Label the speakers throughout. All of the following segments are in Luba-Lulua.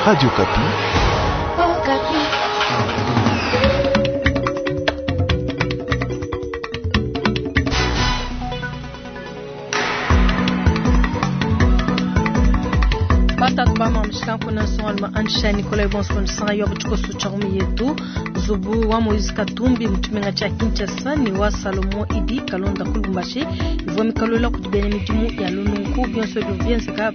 Speaker 1: Radio Okapi.
Speaker 2: Batatu ba mshikanku na nsongalume Ansha Nikolai bonso nsanga yo tshikoso tshia ngumi yetu nzubu wa Moise Katumbi mu tshimenga tshia Kinshasa ne wa Salomon Idi Kalonda ku Lubumbashi ivua mikalula kudi bena midimu ya lununku. Bionso bivua bienzeka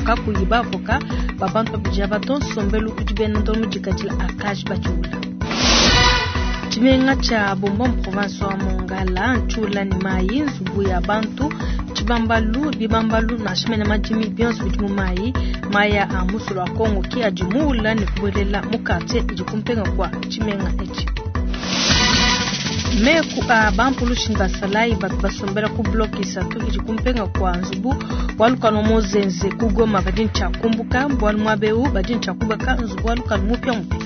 Speaker 2: kakuyi bavoka ba bantu babidi aba to. Nsombelu udi bena ndongo mudikadila akaji batshiula. Tshimenga tshia Bombo mu province wa Mongala ntshiula ne mayi, nzubu ya bantu, tshibambalu, bibambalu nansha mene madimi bionso bidi mu mayi. Mayi a musulu wa Congo ki adi muula ne kubuelela mu quartier idi kumpenga kua tshimenga etshi. Meku a bampulushi ne basalayi batu basombela ku bloc isatu idi kumpenga kua nzubu wa lukanu wa Mozenze ku Goma badi ne tshia kumbuka bualu muaba eu badi ne tshia kubaka nzubu wa lukanu mupiamupia.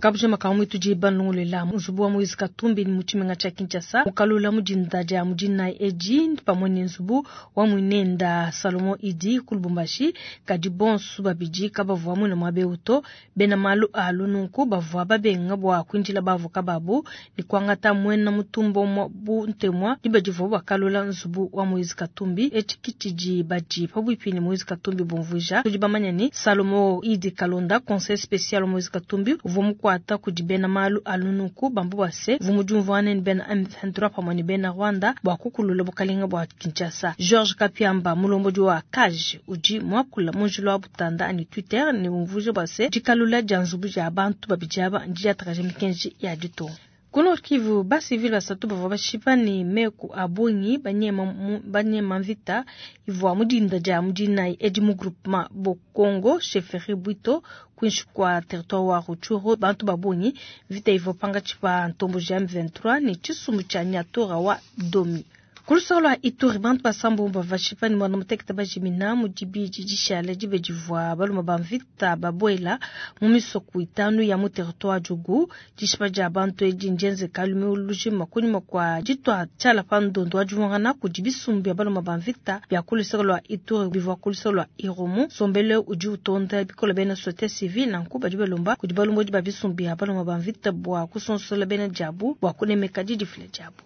Speaker 2: Kabujima ka mwitu di banlongolela nzubu wa Moise Katumbi mu tshimenga tshia Kinshasa mukalula mu dinda dia mu dinayi edi pamue ne nzubu wa muinenda Salomon Idi ku Lubumbashi. Kadi bonso babidi kabavua muine muaba eu to. Bena malu a lununku bavua babenga bua kuindila bavoka babu ne kuangata muena mutumba umue bu ntemua diba divua bakalula nzubu wa Moise Katumbi. Etshi ki tshidi badi pabuipi ne Moise Katumbi bumvuija. Tudi bamanye ne Salomon Idi Kalonda, conseiller spécial wa Moise Katumbi, uvua mukuata kudi bena malu a lununku bamba bua se uvua mudiumvuane ne bena M23 pamue ne bena Rwanda bua kukulula bukalenga bua Kinshasa. Georges Kapiamba, mulombodi wa CAJ, udi muakula mu njila wa Butanda anyi Twitter ne umvuija bua se dikalula dia nzubu dia bantu babidi aba ndidiatakaja mikenji ya ditunga. Ku Nord Kivu, basivile basatu bavua bashipa ne meku a bungi banyema mvita ivua mu dinda dia mu dinayi edi mu groupement Bokongo chefferie Bwito kuinshi kua territoire wa Rutshuru. Bantu ba bungi mvita ivua pangatshi pa ntomboji ya M23 ne tshisumbu tshia Nyatura wa Domi. Ku luseke lua Ituri, bantu basambu bavua bashipa ne muanda mutekete bajimina mu dibidi dishala dibe divua balume ba mvita babuela mu misoko itanu ya mu territoire wa Djugu. Dishipa dia bantu edi ndienzeka lumingu lujima kunyima kua ditua tshiala pa ndondo wa divuangana kudi bisumbu bia balume ba mvita bia ku luseke lua Ituri bivua ku luseke lua Irumu. Nsombelu udi utonda bikole bena société civile, nanku badi balomba kudi balombodi ba bisumbu bia balume ba mvita bua kusonsola bena diabu bua kunemeka didifila diabu.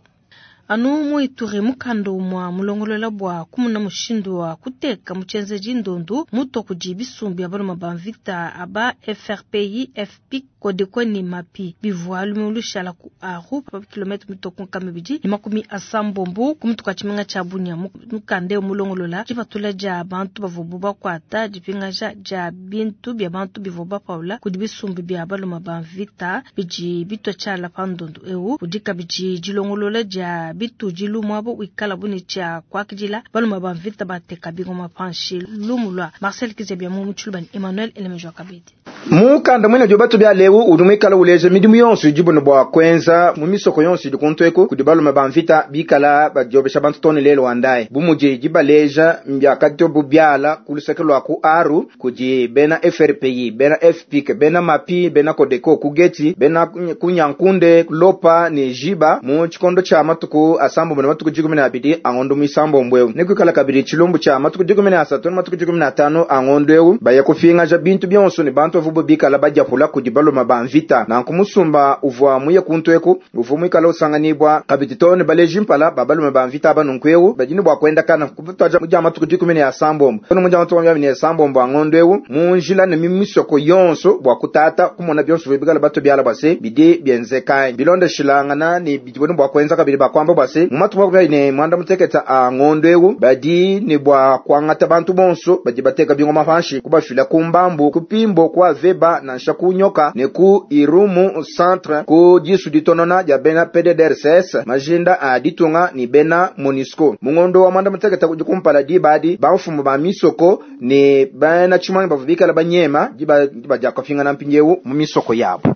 Speaker 2: Anu mu Ituri, mukanda umua mulongolola bua kumuna mushindu wa kuteka mu tshienzedi ndondu mutua kudi bisumbu bia balume ba mvita aba FRPI, FPIC, Codeco ne MAPI bivua lumingu lushala ku Aru pa kilomètre mitue ku nkama ibidi ne makumi asambombo ku mutu kua tshimenga tshia Bunia. Mukanda eu mulongolola dipatula dia bantu bavuabu bakuata, dipingaja dia bintu bia bantu bivua bapaula kudi bisumbu bia balume ba mvita bidi bitua tshiala pa ndondu eu. Udi kabidi dilongolola dia bitudilu muaba wikalabu ne tshia kuakidila balume ba mvita bateka bingoma panshi. Lumu lua Marcel Kizabia mu Tshiluba ne Emmanuel Elemejo Kabedi.
Speaker 3: Mukanda mwene udi bia leu udi muikala uleja midimu yonso idibu ne bua kuenza mu misoko yonso idi kuntu eku kudi balume ba mvita bikala badiobesha bantu too ne lelu wa ndayi. Bu mudi dibaleja mbiakatobu biala ku luseke lua ku Aru kudi bena FRPI, bena FPIC, bena MAPI, bena Codeco ku Geti, bena ku Nyankunde, Lopa ne Jiba mu tshikondo tshia matuku asambombo ne matuku dikumi ne abidi a ngondo muisambombo eu. Nekuikala kabidi tshilumbu tshia matuku 13 ne matuku 15 a ngondo eu baya kupingaja bintu bionso ne bantu bavuabu bikala badiapula kudi balume ba mvita. Nanku musumba uvua muye kuntu eku uvua muikala usanganibua kabidi too ne baleji mpala ba balume ba mvita aba. Nunku eu badi ne bua kuendakana kutuadija mu dia matuku 16 mu dia matuku 26 a ngondo eu mu njila ne mu misoko yonso bua kutata kumona bionso bikala batu biala bua se bidi bienzeka bilondeshilangana ne bidi ne bua kuenza kabidi bakuamba bua se mu matuku 36 a ngondo eu badi ne bua kuangata bantu bonso badi bateka bingoma panshi kubafila ku mbambu ku pimbo ku aveba nansha ku nyoka ne ku Irumu centre ku disu ditonona dia bena PDDRCS majinda a ditunga ni bena MONUSCO. Mu ngondo wa mwanda mutekete kudi kumpala diba adi bamfumu ba misoko ne bena tshimanyi bavua bikala banyema diba dia kupingana mpindieu mu misoko yabo.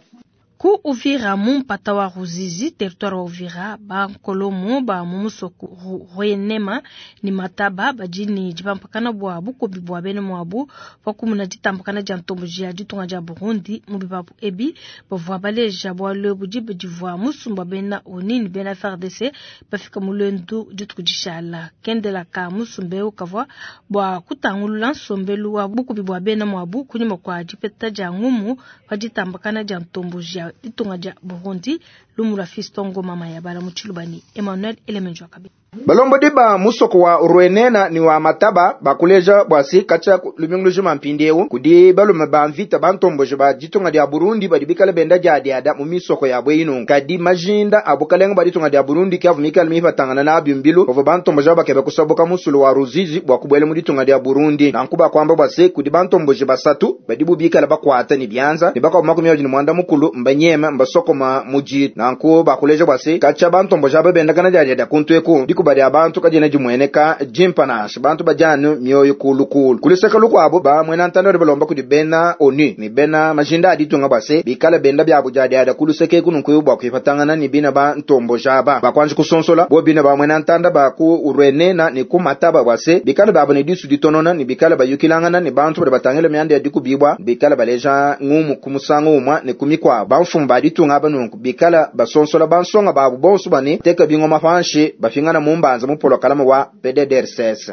Speaker 2: Ku Uvira mu mpata wa Ruzizi, territoire wa Uvira, ba nkolomo ba mu musoko Rwenema ne Mataba badi ne dipampakana bua bukubi bua bena muabu pa kumuna ditambakana dia ntomboji ya ditunga dia Burundi mu bipapu ebi. Bavua baleja bualu ebu diba divua musumba bena ONU ne bena FARDC bafika mu luendu dituku dishala. Kendela ka musumba eu kavua bua kutangulula nsombelu wa bukubi bua bena muabu kunyima kua dipeta dia ngumu pa ditambakana dia ntomboji ya ditunga dia Burundi. Lumu lua Fiston Ngoma Mayabala mu Tshiluba ne Emmanuel Elemenjo Kabi.
Speaker 3: Balombodi ba musoko wa Rwenena ni wa Mataba bakuleja bwasi kacha lumingu lujima mpindiewu kudi balume ba mvita bantomboje ba ditunga dia Burundi badi bikale benda dia diada mu misoko ya bweinu. Kadi majinda abukalenga ba ditunga dia Burundi kyavu mikale mifatangana na byumbilu bavo bantomboje bakebe kusabuka musulu wa Ruzizi bwa kubwele mu ditunga dia Burundi. Nankuba kwamba bwasi kudi bantomboje basatu badi bubikale bakwata ni byanza ni bakwa 21 mukulu mbanyema mbasokoma muji. Nanku bakuleja bwasi kacha bantomboje ababenda kana dia dia kuntweku bali abantu kajina jimweneka jimpanash bantu bajanu mioyo kulukulu kuliseka lukwabo ba mwena ntando balomba kudi bena ONU ni bena majinda aditunga base bikala benda bya bujadi ada kuluseke kununkuyu bwa kuifatangana ni bina ba ntombo jaba bakwanje kusonsola bo bina ba mwena ntanda ba ku urwenena ni kumataba base bikala babo ni disu ditonona ni bikala bayukilangana ni bantu bali batangela myanda dikubibwa bikala baleja ngumu kumusango umwa ni kumikwa bamfumba aditunga banunku bikala basonsola bansonga babu bonso bane teka bingoma fanshi bafingana mumbanza mupolo kalama wa PDDRCS.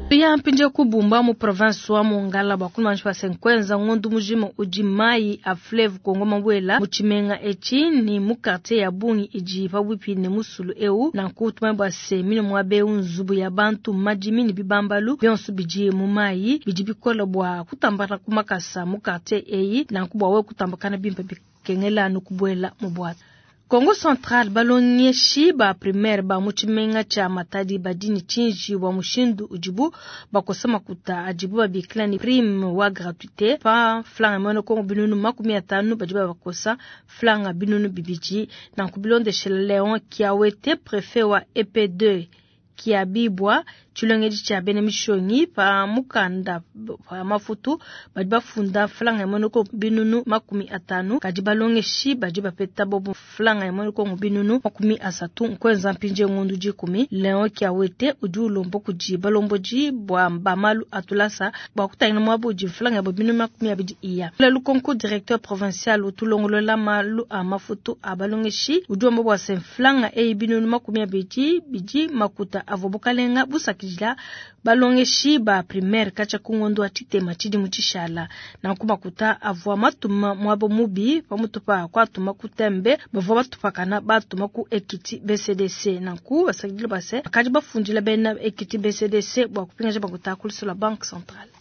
Speaker 2: Ya mpinje kubumba mu province wa Mongala bakuna nshwa senkwenza ngondu mujima uji mai a fleuve Kongo mabwela muchimenga echi ni mu quartier ya Bungi iji pabupi ne musulu eu na kutuma bwa semino mwabe unzubu ya bantu majimi ni bibambalu byonso biji mu mai biji bikola bwa kutambana kumakasa mu quartier eyi na kubwa we kutambakana bimpe bikengela nukubwela mu bwata. Kongo Central balongeshi ba primaire ba muchimenga cha Matadi badini chinji wa mushindu ujibu bakosa makuta ajibu babikila ni prime wa gratuité pa flanga mono Kongo binunu 50 bajibu bakosa flanga binunu bibiji na kubilondeshela Leon Kiawete préfet wa EP2 Kiabibwa chilongeji cha bene mishongi pa mukanda pa mafutu badi bafunda flanga ya monoko binunu 50 kadi balongeshi badi bapeta bobo flanga ya monoko binunu 30 nkwenza mpinje ngondu 10 Leon Kiawete udi ulombo kuji balomboji bwa bamalu atulasa bwa kutangina mwabo ji flanga ya binunu 20 iya lukonko directeur provincial utulongolola malu a mafutu a balongeshi udi ombo bwa sen flanga e binunu 20 biji makuta avobokalenga busakijila balongeshi ba primaire kacha kungondo atitema chidi muchishala na kumakuta avwa matuma mwabo mubi pamutupa kwatuma kutembe bavwa batupakana batuma ku Ekiti BCDC na ku basakijila base akaji bafundila bena Ekiti BCDC bwa kupinga bakuta kulisula Banque Centrale.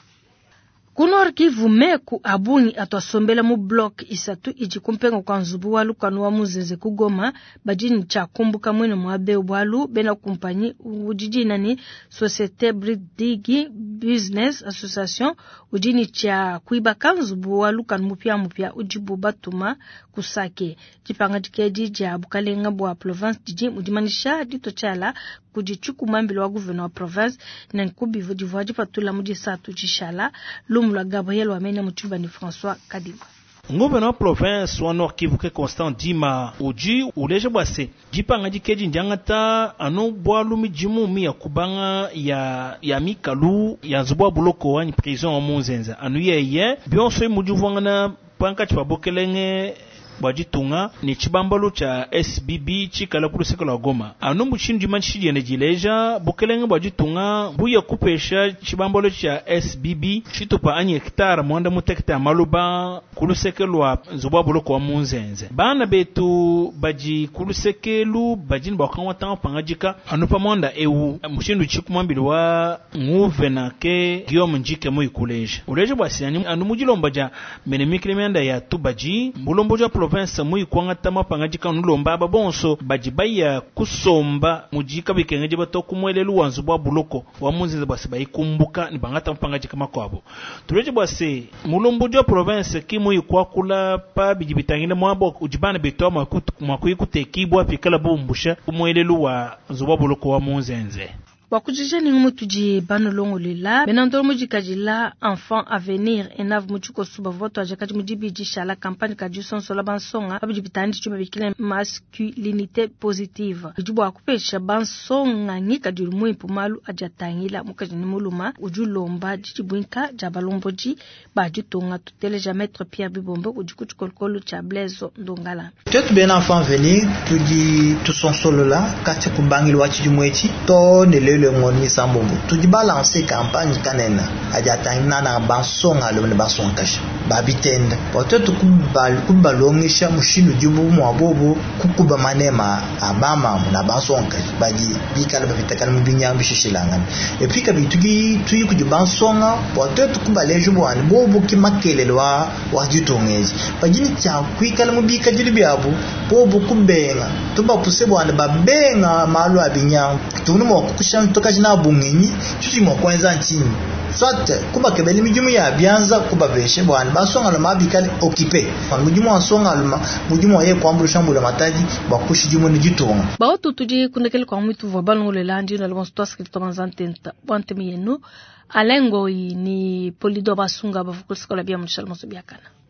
Speaker 2: Kunor Kivu meku abungi atwasombela mu block isatu iji kumpenga kwa nzubu wa lukanu wa muzenze kugoma bajini cha kumbuka mwene mwabe bwalu bena kumpanyi ujijina ni Societe Bridigi Business Association ujini cha kuibaka nzubu wa lukanu mupya mupya ujibu batuma kusake jipanga jikeji ja bukalenga bwa province jiji mudimanisha dito chala kujichuku mambilo wa gouverneur wa province na nkubivu divwa jipatula mujisatu jishala Lumula Gabriel Wamenya Muchuba ni François Kadima.
Speaker 1: Nguvena wa province wa Nord Kivu ke Constant Dima uji uleje bwase jipanga jikeji njangata anu bwalu mijimu mi ya kubanga ya mikalu ya nzubu wa buloko wa prison wa Munzenza anu yeye bionso mujuvangana panka chipabokelenge bwajitunga ni chibambalo cha SBB chikala kuluseka lwa Goma anu mushindu manshi yene jileja bukelenge bwajitunga buya kupesha chibambalo cha SBB chitupa anyi hektare mwanda mutekta maluba kuluseke lwa nzubu wa buloko wa Munzenze bana betu baji kulusekelu bajini bakamwa pangajika anu pa mwanda ewu mushindu chikumambili wa nguvena ke Guillaume Njike muyikuleja uleje bwasiani anu mujilomba ja menemikile myanda ya tubaji mbulombo ja province muyikwangata mapangajika nulomba aba bonso baji baya kusomba mujika bikengeje bato kumwelelu wanzu bwa buloko wa Munzenze bwase bayikumbuka ni bangata mapangajika makwabo tuleje bwase mulombo ja province ki muyikwakula pa biji bitangile mwabo ujibana betwa mwakuyikutekibwa pikala bumbusha kumwelelu wa nzu bwa buloko wa Munzenze.
Speaker 2: Bua kujija ne ngumu tudi banulongolela, bena ndolo mudikadila Enfant Avenir Enav mu tshikoso bavua batuadija kadi mu dibidi shala kampanye ka disonsola bansonga pa bidi bitangila tshidibu babikila masculinite positive. Bidi bua kupesha bansonga ngikadilu muimpe malu adi atangila mukaji ne mulume udi ulomba didibuinka dia balombodi ba ditunga. Tuteleja Maitre Pierre Bibombe udi ku tshikolokolo tshia Blaise Ndongala.
Speaker 4: Tuetu bena Enfant Avenir tudi tusonsolola katshia ku mbangilu wa tshidimu etshi too ne lelu ngondo misambombo, tudi balanse kampanye kanene adi atangila nangananga bansongalume ne bansongakaji ba bitende bua tuetu kubalongesha mushindu udibu mua bobu kukuba manema a bamamu na bansongakaji badi bikale bapitakana mu binyangu bishishilangane. Epi kabidi tudi tuyi kudi bansonga bua tuetu kubaleja bua ne bobu ke makelele wa wa ditunga edi badi ne tshia kuikala mu bikadilu biabu bobu kubenga tubapuse bua ne babenga malu a binyangu. Tuvua mua kukusha tukaji nabu ngenyi tshitudi mua kuenza ntshinyi soit kubakebela midimu ya bianza kubapeshe bua ne bansongalume bikale occupé mudimu wa nsongalume mudimu wa yeye kuambuluisha mbulamatadi bua kushidimuna ditunga.
Speaker 2: Bautu tudi kundekele kwa mwitu vua balongolela ndi na lobonso twasikili twabanza ntenta bua ntemi yenu Alain Ngoyi ni Polido Basunga bavukulisa kola bia munshala moso biakana.